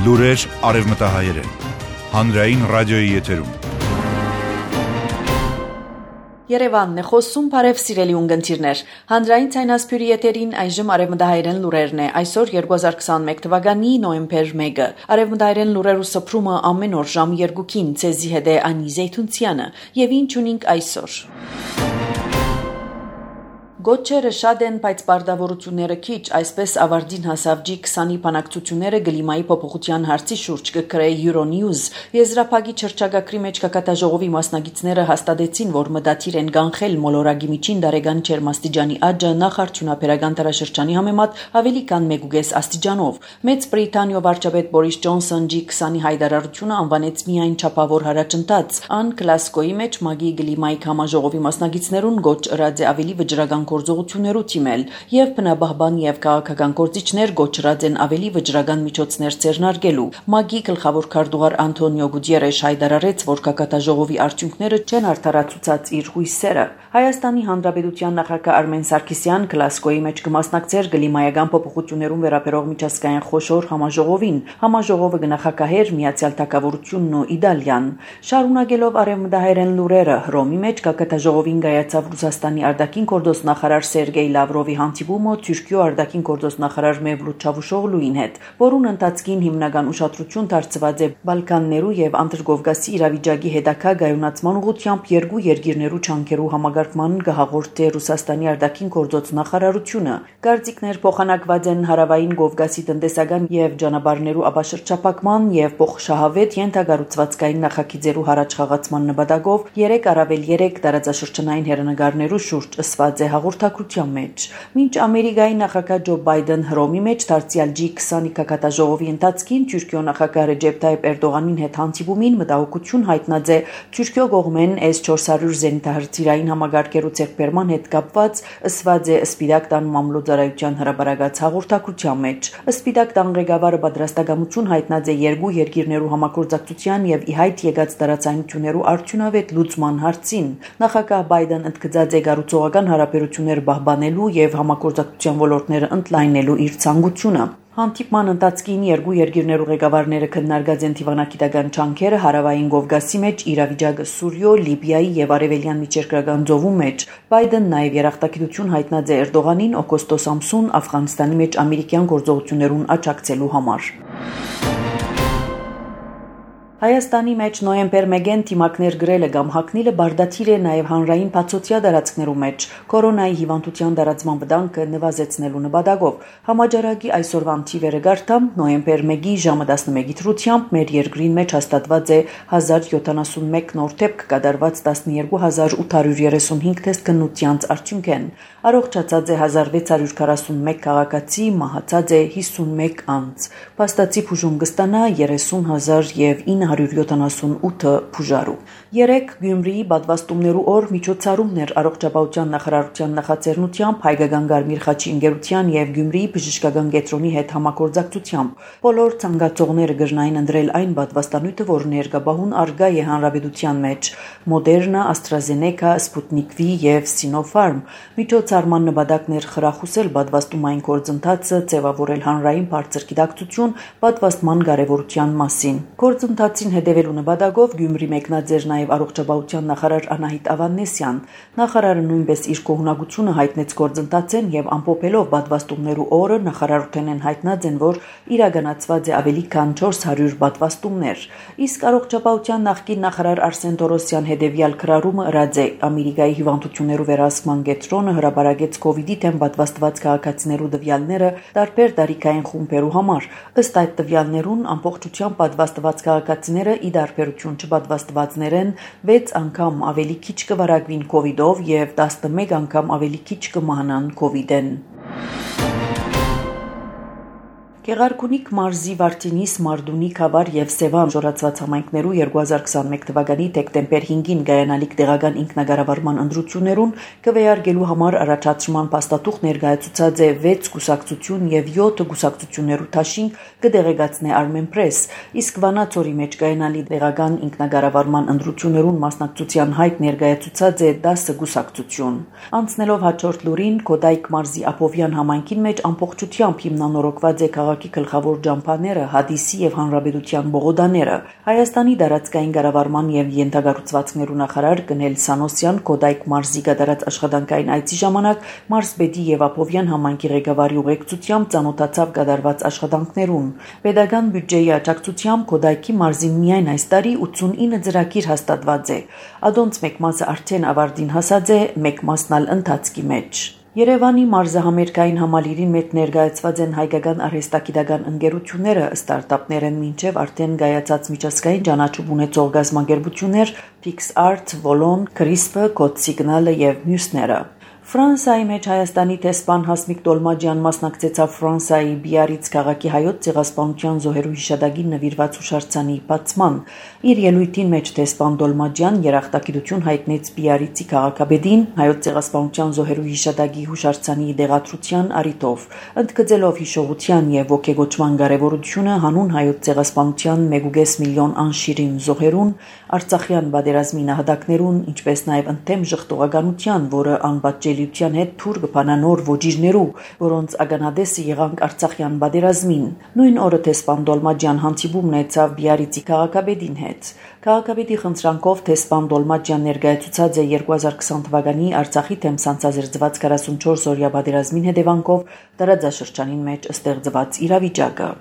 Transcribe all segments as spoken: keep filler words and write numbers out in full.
Լուրեր արևմտահայերեն, հանրային ռադիոյի եթերում։ Երևանն է խոսում, բարև սիրելի ունգընտիրներ։ Հանրային ցայնասփյուրի եթերին այժմ արևմտահայերեն լուրերն է։ Այսօր երկու հազար քսաներկու թվականի նոյեմբեր մեկը։ Արևմտահայերեն լուրերու սփռումը ամեն օր ժամը երկուքին ցեզի հետ է Անի Զեյթունցյանը։ Եվ ինչ ունենք այսօր։ Գոչերը շատ են, բայց բարդավորությունները քիչ, այսպես ավարտին հասավ ջի քսանի բանակցությունները գլիմայի փոփոխության հարցի շուրջ կգրեի Euronews։ Եզրափակի չրճագակրի մեջ կակատաժողովի մասնագետները հաստատեցին, որ մտադիր են կանխել մոլորակի միջին դարեգան ջերմաստիճանի աճը նախարդյունաբերական տարաշրջանի համեմատ ավելի քան մեկուկես աստիճանով։ Մեծ Բրիտանիա վարչապետ Բորիս Ջոնսոն ջի քսանի հայտարարությունը անվանեց միայն չափավոր հարաճընթաց։ Ան Գլասգոյի մեջ ՄԱԳ-ի գլիմայի համաժողովի մասնագետներուն գոչ ըրած է ավելի վճռական գործողություններու թիմել եւ բնաբահբան եւ քաղաքական գործիչներ գոչրած են ավելի վճռական միջոցներ ձեռնարկելու։ ՄԱԳ-ի գլխավոր քարտուղար Անտոնիո Գուտիերեշ հայտարարեց, որ կակատաժողովի արդյունքները չեն արդարացուցած իր հույսերը։ Հայաստանի Հանրապետության նախագահ Արմեն Սարգսյան Գլասգոյի մեջ կմասնակցեր գլիմայական փոփոխություններուն վերաբերող միջազգային խոշոր համաժողովին։ Համաժողովը կնախագահեր Միացյալ Թագավորությունն ու Իտալիան։ Շարունակելով արևմտահայերեն լուրերը, Հռոմի մեջ կակատաժողովին կայացավ Ռուսաստանի արտաքին գործ նախարար Սերգեյ Լավրովի հանդիպումը Թուրքիո արտաքին գործ նախարար Մևլութ Չավուշօղլուին հետ, որուն ընթացքին հիմնական ուշադրություն դարձված է Բալկաններու եւ Անդրկովկասի իրավիճակի հետագա գայունացման ուղղությամբ երկու երկիրներու չանկերու համագարկման կհաղորդե Ռուսաստանի արտաքին գործ նախարարությունը։ Գարցիկներ փոխանակված են հարավային Կովկասի տնտեսական եւ ճանապարհներու ապաշրջապակման եւ փոխշահավետ ենթակառուցվածքային նախագիծերու հարաճ խաղացման նպատակով երեք առավել երեք տարածաշրջանային հեռանկարներու շուրջ ըսված է հաղորդակցության մեջ։ Մինչ Ամերիկայի նախագահ Ջո Բայդեն Հռոմի մեջ դարձյալ ջի քսանի կակատաժողովի ընթացքին Թուրքիո նախագահ Ռեջեփ Թայիփ Էրդողանին հետ հանդիպումին մտահոգություն հայտնած է Թուրքիո կողմեն էս չորս հարյուր զենիթահրթիռային համագարկերու ձեռքբերման հետ կապված ըսված է Սպիտակ տան մամլոյցարայության հրապարակած հաղորդակցության մեջ։ Սպիտակ տան ղեկավարը պատրաստակամություն հայտնած է երկու երկիրներու համագործակցության եւ ի հայտ եկած տարածայնություններու արդյունավետ լուծման հարցին։ Նախագահ Բայդեն ընդգծած է կառուցողական հարաբերություններ պահպանելու եւ համագործակցության ոլորտները ընդլայնելու իր ցանկությունը։ Հանդիպման ընթացքին երկու երկիրներու ղեկավարները քննարկած են դիվանագիտական ջանքերը հարավային Կովկասի մեջ իրավիճակը Սուրիո, Լիբիայի եւ արևելյան միջերկրական ծովու մեջ։ Բայդեն նաեւ երախտագիտություն հայտնած է Էրդողանին օգոստոս ամսուն Աֆղանստանի մեջ ամերիկյան գործողություններուն աջակցելու համար։ Հայաստանի մեջ նոյեմբեր մեկին թիմակներ գրելը կամ հակնիլը բարդաթիր է նաև հանրային բացօթյա տարածքներու մեջ կորոնայի հիվանդության տարածման վտանգը նվազեցնելու նպատակով։ Համաճարակի այսօրվան թիվերը գարտամ նոյեմբեր մեկի ժամը տասնմեկի դրությամբ մեր երկրին մեջ հաստատված է հազար յոթանասունմեկ նոր դեպք կատարված տասնյոթ հազար ութ հարյուր երեսունհինգ թեստ քննությանց արդյունքեն։ Առողջացած է հազար վեց հարյուր քառասունմեկ քաղաքացի, մահացած է հիսունմեկ անձ։ Փաստացի բուժում կստանա երեսուն հազար եւ ինը հարյուր յոթանասունութ բուժարու։ Երեք Գյումրիի պատվաստումներու օր միջոցառումներ առողջապահության նախարարության նախաձեռնությամբ Հայկական Կարմիր խաչի ընկերության եւ Գյումրիի բժշկական կենտրոնի հետ համագործակցությամբ բոլոր ցանկացողները կրնային ընտրել այն պատվաստանյութը, որ ներկայաբահուն արգա է հանրապետության մեջ՝ Մոդերնա, AstraZeneca, Sputnik V եւ Sinopharm։ Միջոցառման նպատակն էր խրախուսել պատվաստումային գործընթացը, ձևավորել հանրային բարձր գիտակցություն պատվաստման կարևորության մասին։ Գործընթացին հետևելու նպատակով Գյումրի մեկնած էր նաև առողջապահության նախարար Անահիտ Ավանեսյան։ Նախարարը նույնպես իր կողմնակությունը հայտնեց գործընթացին եւ ամփոփելով պատվաստումներու օրը նախարարութենեն հայտնած են, որ իրականացված է ավելի քան չորս հարյուր պատվաստումներ։ Իսկ առողջապահության նախկին նախարար Արսեն Տորոսյան հետևյալ քրարումը ըրած է Ամերիկայի հիվանդություններու վերահսկման կենտրոնը հրապարակեց կովիդի դեմ պատվաստված քաղաքացիներու տվյալները տարբեր տարիքային խումբերու համար։ Ըստ այդ տվյալներուն ամբողջությամբ պատվաստված քաղաքացիները ի դարբերություն չպատվաստվածներեն վեց անգամ ավելի քիչ կվարակվին կովիդով եւ տասնմեկ անգամ ավելի քիչ կմահանան կովիդեն։ Գեղարքունիք մարզի Վարդինիս, Մարդունի, Քավար եւ Սևան ժորացված համայնքներու երկու հազար քսանմեկ թվականի դեկտեմբեր հինգին գայանալիք տեղական ինքնագարավարման ընտրություններուն կվեարկելու համար առաջադրման փաստաթուղթ ներկայացուցած է վեց կուսակցություն եւ յոթ կուսակցություններու թաշինք կդեղեկացնե Armenpress, իսկ Վանաձորի մեջ գայանալի տեղական ինքնագարավարման ընտրություններուն մասնակցության հայտ ներկայացուցած է դասը կուսակցություն։ Անցնելով հաջորդ լուրին, Կոդայք մարզի Ափովյան համայնքին մեջ ամբողջությամբ հիմնանորոգված է քաղաքի գլխավոր ջամփաները, Հադիսի եւ Հանրապետության բողոդաները։ Հայաստանի դարածքային կառավարման եւ յենթագառուցվածքներու նախարար Գնել Սանոսյան Կոդայք մարզի գդարած աշխատանքային այցի ժամանակ Մարզպետի եւ Ափովյան համայնքի ղեկավարի ուղեկցությամբ ծանոթացավ գդարված աշխատանքներուն։ Պետական բյուջեի աջակցությամբ Կոդայքի մարզին միայն այս տարի ութսունինը ծրագիր հաստատված է։ Ադոնց մեկ մասը արդեն ավարտին հասած է, մեկ մասն ալ ընթացքի մեջ։ Երևանի մարզահամերգային համալիրին մեջ ներկայացված են հայկական արհեստագիտական ընկերությունները, ստարտափներ են մինչև արդեն գայացած միջազգային ճանաչում ունեցող գազམ་ագերբություններ PixArt, Volon, Crisp, Code Signal եւ մյուսները։ Ֆրանսիայի մեջ Հայաստանի տեսփան Հասմիկ Տոլմաջյան մասնակցեցավ Ֆրանսիայի Բիարից քաղաքի հայոց ցեղասպանության զոհերու հիշադակին նվիրված հուշարձանի բացման։ Իր ելույթին մեջ տեսփան Տոլմաջյան երախտագիտություն հայտնեց Բիարիցի քաղաքապետին հայոց ցեղասպանության զոհերու հիշադակի հուշարձանի դեղատրության առիթով, ընդգծելով հիշողության եւ ոգեգոճման կարեւորությունը հանուն հայոց ցեղասպանության մեկ կես միլիոն անշիրին զոհերուն, Արցախյան պատերազմի նահատակներուն, ինչպես նաեւ ընդդեմ ժխտողականության, որը անպատժելիության հետ թուր կփանանոր ոճիրներու, որոնց ականադեսը եղանք Արցախյան պատերազմին։ Նույն օրը տեսփան Տոլմաջյան հանդիպում ունեցավ Բիարիցի քաղաքապետին հետ։ Քաղաքապետի խնդրանքով տեսփան Տոլմաջյան ներկայացուցած է երկու հազար քսան թվականի Արցախի դեմ սանձազերծված քառասունչորս օրյա պատերազմին հետևանքով տարածաշրջանին մեջ ստեղծված իրավիճակը։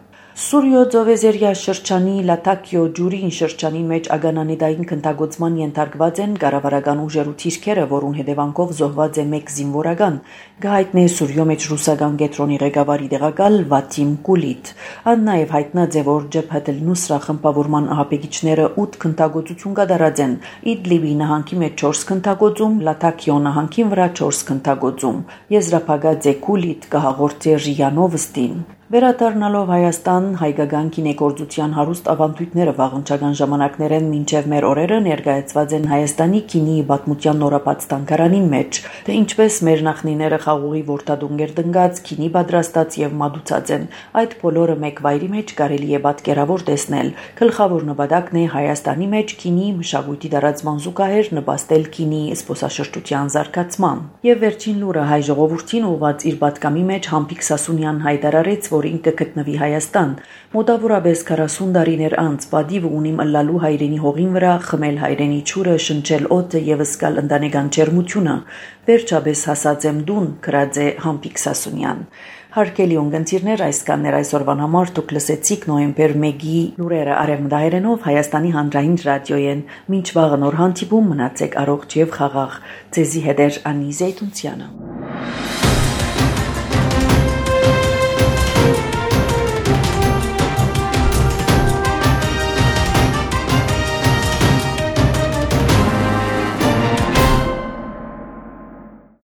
Սուրյո Ձովեզերյա շրջանի Լատակիո ջուրին շրջանի մեջ ագանանեդային քննագործման ենթարկված են կառավարական ուժերու թիրքերը, որուն հետևանքով զոհված է մեկ զինվորական, գահիտնե Սուրյո մեջ ռուսական գետրոնի ղեկավարի տեղակալ Վատիմ Կուլիտ։ Ան նաև հայտնած է, որ Ջեփհաթ ալ-Նուսրա խմբավորման ահապեկիչները ութ քննագործություն կատարած են, Իդլիբի նահանգի մեջ չորս քննագործում, Լատակիո նահանգին վրա չորս քննագործում։ Եզրափակած է Կուլիտ կհաղորդե Ռիանովստին։ Վերադառնալով Հայաստան, հայկական կինեգործության հարուստ ավանդույթները վաղնչական ժամանակներեն մինչև մեր օրերը ներկայացված են Հայաստանի կինոյի պատմության նորաբաց թանգարանին մեջ, թե ինչպես մեր նախնիները խաղողի ворտադունգեր դնգած, կինի պատրաստած եւ մատուցած են։ Այդ բոլորը մեկ վայրի մեջ կարելի է պատկերավոր տեսնել։ Գլխավոր նպատակն է Հայաստանի մեջ կինոյի մշակույթի դարածման զուգահեռ նպաստել կինոյի զբոսաշրջության զարգացման։ Եվ վերջին լուրը հայ ժողովրդին ուղղված իր պատկամի մեջ Համբիկ Սասունյան հայտարարեց, որ ինքը գտնվի Հայաստան։ Մոտավորապես քառասուն տարիներ անց պատիվ ունիմ ըլլալու հայրենի հողին վրա, խմել հայրենի ջուրը, շնչել օդը եւ զգալ ընտանեկան ջերմությունը։ Վերջապես հասած եմ դուն, գրած է Համբիկ Սասունյան։ Հարգելի ունգընտիրներ, այսքաններ այսօրվան համար դուք լսեցիք նոյեմբեր մեկի լուրերը արևմտահայերենով Հայաստանի հանրային ռադիոյեն։ Մինչ վաղը նոր հանդիպում, մնացեք առողջ եւ խաղաղ։ Ձեզի հետ է Անի Զեյթունցյանը։